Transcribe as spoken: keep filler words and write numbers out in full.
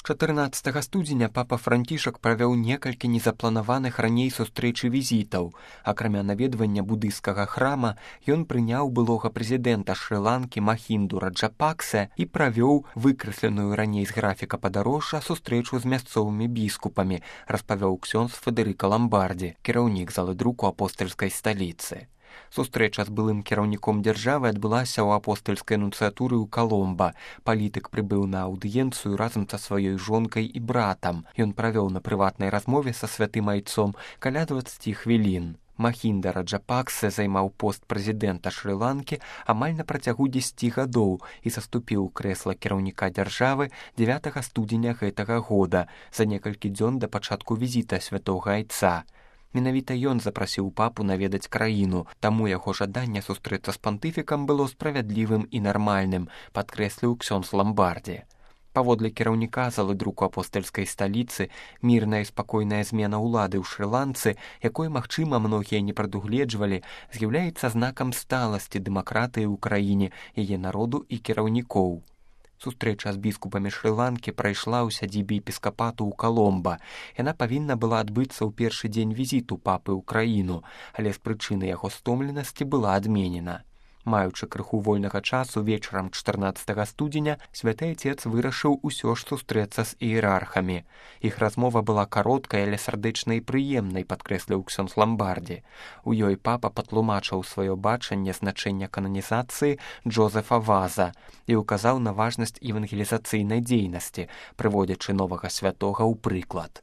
чатырнаццатага студзеня папа Францішак правёў некалькі незапланаваных раней сустрэч і візітаў. Акрамя наведвання будыйскага храма, ён прыняў былога прэзідэнта Шры-Ланкі Махінду Раджапаксе і правёў выкрэсленую раней з графіка падарожжа сустрэчу з мясцовымі біскупамі, распавёў ксёндз Федэрыка Ламбардзі, кіраўнік залы друку апостальскай сталіцы. Сустрэча з былым кіраўніком дзяржавы адбылася ў апостальскай нунцыятуры ў Каломба. Палітык прыбыў на аўдыенцыю разам са сваёй жонкай і братам. Ён правёў на прыватнай размове са святым айцом каля дваццаці хвілін. Махінда Раджапаксе займаў пост прэзідэнта Шры-Ланкі амаль на працягу дзесяці гадоў і саступіў у крэсла кіраўніка дзяржавы дзевятага студзеня гэтага года, за некалькі дзён да пачатку візіта святога айца. Менавіта ён запрасіў папу наведаць краіну, таму яго жаданне сустрэцца з пантыфікам было справядлівым і нармальным, падкрэсліў ксёндз Ламбардзі. Паводле кіраўніка залы друку апостальскай сталіцы, мірная і спакойная змена ўлады ў Шры-Ланцы, якой, магчыма, многія не прадугледжвалі, з'яўляецца знакам сталасці дэмакратыі ў краіне, яе народу і кіраўнікоў. Сустрэча з біскупамі Шры-Ланкі прайшла ў сядзібе епіскапату ў Каломба. Яна павінна была адбыцца ў першы дзень візіту папы ў краіну, але з прычыны яго стомленасці была адменена. Маючы крыху вольнага часу вечарам чатырнаццатага студзеня, святы айцец вырашыў усё ж сустрэцца з іерархамі. Іх размова была кароткай, але сардэчнай і прыемнай, падкрэсліў ксёндз Ламбардзі. У ёй папа патлумачыў сваё бачанне значэння кананізацыі Джозефа Ваза і ўказаў на важнасць евангелізацыйнай дзейнасці, прыводзячы новага святога ў прыклад.